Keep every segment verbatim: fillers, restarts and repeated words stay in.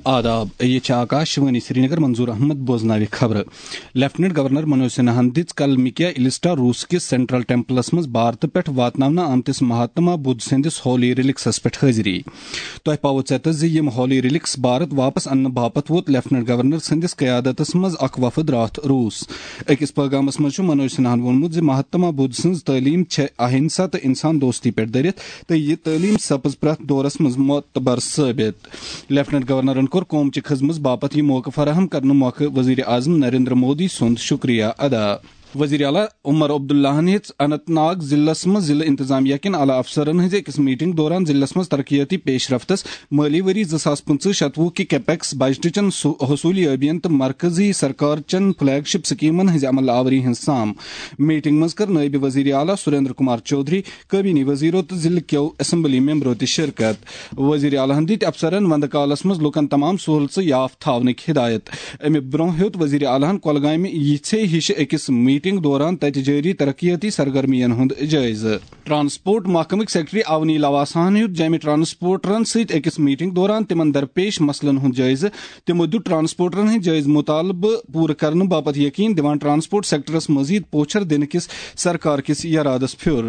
آداب، یہِ چھِ آکاش وانی سرینگر، منظور احمد بوزناوِ خبرٕ۔ لیفٹیننٹ گورنر منوج سنہاہن دِژ کل مکیا السٹا روس کِس سینٹرل ٹیمپلس منٛز بھارتہٕ پٮ۪ٹھ واتناونہٕ آمتِس مہاتما بدھ سٕنٛدِس ہولی ریلکسس پٮ۪ٹھ حٲضری۔ تۄہہِ پاوٕ ژیتس زِ یِم ہولی ریلکس بھارت واپس اننہٕ باپتھ ووت لیفٹیننٹ گورنر سٕنٛدِس قیادتس منٛز اکھ وفد راتھ روس۔ أکِس پٲغامس منٛز چھُ منوج سنہاہن ووٚنمُت زِ مہاتما بدھ سٕنٛز تعلیٖم چھےٚ اہنسا تہٕ انسان دوستی پٮ۪ٹھ دٔرِتھ، تہٕ یہِ تعلیٖم سپٕز پرٛٮ۪تھ دورس منٛز معتبر ثٲبت۔ لیفٹیننٹ گورنرن کوٚر قوم چہِ خدمژ باپتھ یہِ موقعہٕ فراہم کرنہٕ مۄکھٕ وزیر اعظم نریندر مودی سُنٛد شکریہ ادا۔ وزیر اعلیٰ عمر عبداللہن ہیٚژ اننت ناگ ضلعس منٛز ضلع انتظامیہ کٮ۪ن اعلیٰ افسرن ہٕنٛزِ أکِس میٹنگ دوران ضلعس منٛز ترقیٲتی پیش رفتس، مٲلی ؤری زٕ ساس پٕنٛژٕہ شتوُہ کہِ کیپیکس بجٹٕچن سُہ حصوٗلی ٲبین تہٕ مرکزی سرکار چن فلیگ شپ سکیمن ہٕنٛزِ عمل آوری ہٕنٛز سام۔ میٹنگ منٛز کٔر نٲیِب وزیر اعلیٰ سریندر کمار چودھری، کابینی وزیرو تہٕ ضلعہٕ کیو اسمبلی ممبرو تہِ شرکت۔ وزیر اعلیٰ ہن دِتۍ افسرن وندٕ کالس منٛز لوٗکن تمام سہولژٕ یافتہٕ تھاونٕکۍ ہدایت۔ امہِ برونٛہہ ہیوٚت وزیر اعلیٰ ہن کۄلگامہِ یِژھے ہِشہِ أکِس میٹنگ دوران تتہِ جٲری ترقیٲتی سرگرمین ہُنٛد جٲیزٕ۔ ٹرانسپورٹ محکمٕکۍ سیکرٹری اونی لواساہن ہیوٚت جامع ٹرانسپورٹرن سۭتۍ أکِس میٹنگ دوران تِمن درپیش مسلن ہُنٛد جٲیزٕ۔ تِمو دیُت ٹرانسپورٹرن ہٕنٛدۍ جٲیزٕ مطالبہٕ پوٗرٕ کرنہٕ باپتھ یقین دِوان ٹرانسپورٹ سیکٹرس مزید پوچھر دِنہٕ کِس سرکار کِس یرادس پھیُر۔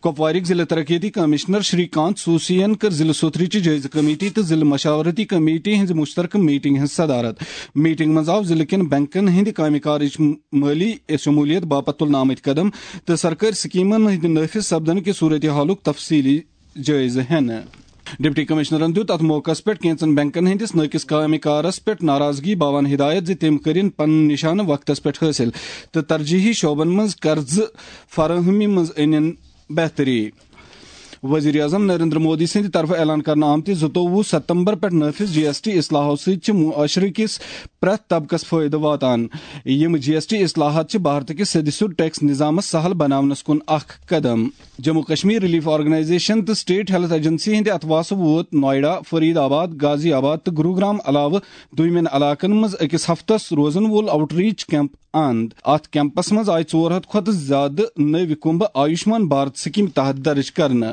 کپوارٕکۍ ضلع ترقیتی کمشنر شری کانت سوسین کٔر ضلع سوتھرٕچہِ جٲیزٕ کمیٹی تہٕ ضلع مشاورتی کمیٹی ہٕنٛزِ مشترکہٕ میٹنگ ہٕنٛز صدارت۔ میٹنگ منٛز آو ضلعہٕ کٮ۪ن بینکن ہٕنٛدِ کامہِ کارٕچ مٲلی شمولیت باپتھ تُلنہٕ آمٕتۍ قدم تہٕ سرکٲرۍ سکیمن ہٕنٛدِ نٲفذ سپدن کہِ صورت حالُک تفصیلی جٲیزٕ ہینہٕ۔ ڈپٹی کمشنرن دیُت اتھ موقعس پٮ۪ٹھ کینژن بینکن ہٕنٛدِس نٲقص کامہِ کارس پٮ۪ٹھ ناراضگی باوان ہدایت زِ تِم کٔرِن پنُن نشانہٕ وقتس پٮ۪ٹھ حٲصِل تہٕ ترجیحی شعبن منٛز قرضہٕ فراہمی منٛز أنِن بہتری۔ وزیر اعظم نریندر مودی سٕنٛدِ طرفہٕ اعلان کرنہٕ آمتہِ زٕتووُہ ستمبر پٮ۪ٹھ نٲفذ جی ایس ٹی اصلاحو سۭتۍ چھِ معاشرٕ کِس پرٛٮ۪تھ طبقس فٲیدٕ واتان۔ یِم جی ایس ٹی اصلاحات چھِ بھارتہٕ کِس سیٚدِ سیوٚد ٹیکس نظامس سہل بناونس کُن اکھ قدم۔ جموں کشمیر ریلیف آرگنائزیشن تہٕ اسٹیٹ ہیلتھ ایجنسی ہٕنٛدِ اتھواسہٕ ووت نوئیڈا، فرید آباد، غازی آباد تہٕ گروگرام علاوٕ دویمٮ۪ن علاقن منٛز أکِس ہفتس روزن وول آؤٹ ریچ کیمپ اند۔ اتھ کیمپس منٛز آیہِ ژور ہتھ کھۄتہٕ زیادٕ نٔوۍ کُمبہٕ آیوشمان بھارت سکیمہِ تحت درج کرنہٕ۔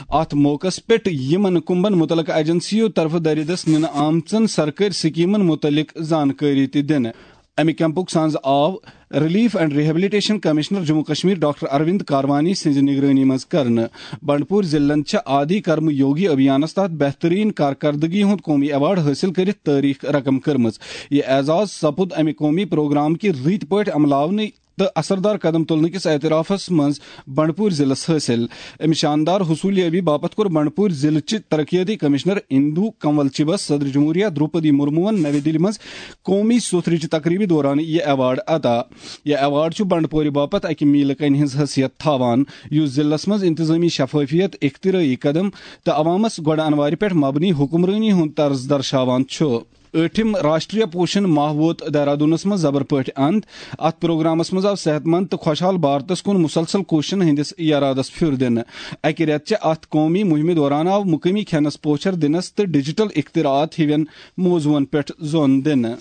اتھ موقعس پٮ۪ٹھ یِمن کُمبن متعلقہٕ ایجنسیو طرفہٕ دٲرِدس نِنہٕ آمژن سرکٲرۍ سکیمن متعلق زانکٲری تہِ دِنہٕ۔ امہِ کیمپُک سانز آو relief and rehabilitation commissioner Jammu Kashmir doctor Arvind Karwani سٕنزِ نگرٲنی منٛز کرنہٕ۔ بنڈپور ضلعن چھےٚ آدی کرم یوگی ابھیانس تحت بہترین کارکردگی ہُنٛد قومی ایوارڈ حٲصِل کٔرِتھ تٲریخ رقم کٔرمٕژ۔ یہِ اعزاز سپُد امہِ قومی پروگرام کہِ رٕتۍ پٲٹھۍ عملاونہٕ تہٕ اثردار قدم تُلنہٕ کِس اعترافس منٛز بنڈپور ضلعس حٲصِل۔ امہِ شاندار حصولیابی باپتھ کوٚر بنڈپور ضلعہٕ چہِ ترقیٲتی کمشنر اندو کنول چِبس صدر جمہوریہ دروپدی مرموہن نوِ دِلہِ منٛز قومی سوتھرٕچہِ تقریبہِ دوران یہِ ایوارڈ عطا۔ یہِ ایوارڈ چھُ بنڈپورِ باپتھ اکہِ میلہٕ کنہِ ہٕنٛز حیثیت تھاوان، یُس ضلعس منٛز انتظامی شفافیت، اختراعی قدم تہٕ عوامس گۄڈٕ انوارِ پٮ۪ٹھ مبنی حکمرٲنی ہُنٛد طرز درشاوان چھُ۔ ٲٹھِم راشٹریہ پوشن ماہ ووت دہرادوٗنس منٛز زبر پٲٹھۍ اند۔ اتھ پروگرامس منٛز آو صحت مند تہٕ خۄشحال بھارتس کُن مسلسل کوششن ہٕنٛدِس یرادس پھیُر دِنہٕ۔ اکہِ رٮ۪تہٕ چہِ اتھ قومی مُہِمہِ دوران آو مُقٲمی کھٮ۪نس پوچھر دِنس تہٕ ڈیجیٹل اختراعات ہِوٮ۪ن موضوعن پٮ۪ٹھ زون دِنہٕ۔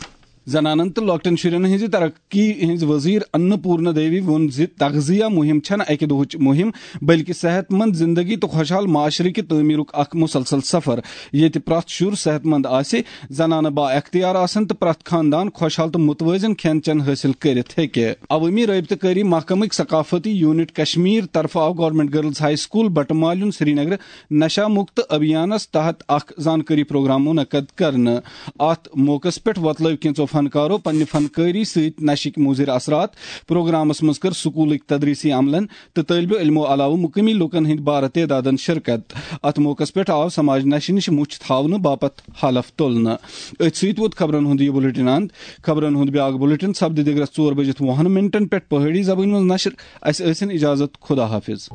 زنانن تہٕ لۄکٹٮ۪ن شُرٮ۪ن ہٕنٛزِ ترقی ہٕنٛز وزیر انپورنا دیوی ووٚن زِ تغذیہ مُہِم چھَنہٕ اَکہِ دۄہٕچ مُہِم، بلکہِ صحت مند زندگی تہٕ خۄشحال معاشرٕ کہِ تعمیٖرُک اکھ مسلسل سفر، ییٚتہِ پرٛٮ۪تھ شُر صحت مند آسہِ، زنانہٕ با اختیار آسن تہٕ پرٛٮ۪تھ خاندان خۄشحال تہٕ متوازن کھٮ۪ن چٮ۪ن حٲصِل کٔرِتھ ہیٚکہِ۔ عوٲمی رٲبطہٕ کٲری محکمٕکۍ ثقافتی یونٹ کشمیر طرفہٕ آو گورنمنٹ گرلز ہائی سکول بٹہٕ مالیُن سرینگرٕ نشہ مکت ابھیانس تحت اکھ زانکٲری پروگرام منعقد کرنہٕ۔ اتھ موقعس پٮ۪ٹھ وۄتلٲوۍ کینٛژو فنکارو پننہِ فنکٲری سۭتۍ نشٕکۍ مُضر اثرات۔ پروگرامس منٛز کٔر سکولٕکۍ تدریسی عملن تہٕ طٲلبہِ علمو علاوٕ مُقٲمی لوٗکن ہٕنٛدۍ بارٕ تعدادن شرکت۔ اتھ موقعس پٮ۪ٹھ آو سماج نشہِ نِش مُچھ تھاونہٕ باپتھ حلف تُلنہٕ۔ أتھۍ سۭتۍ ووت خبرن ہُنٛد یہِ بُلٹن اند۔ خبرن ہُنٛد بیاکھ بُلٹن سپدِ دِگرس ژور بجِتھ وُہن منٹن پٮ۪ٹھ پہٲڑی زبٲنۍ منٛز نشر۔ اسہِ ٲسِن اجازت، خدا حافظ۔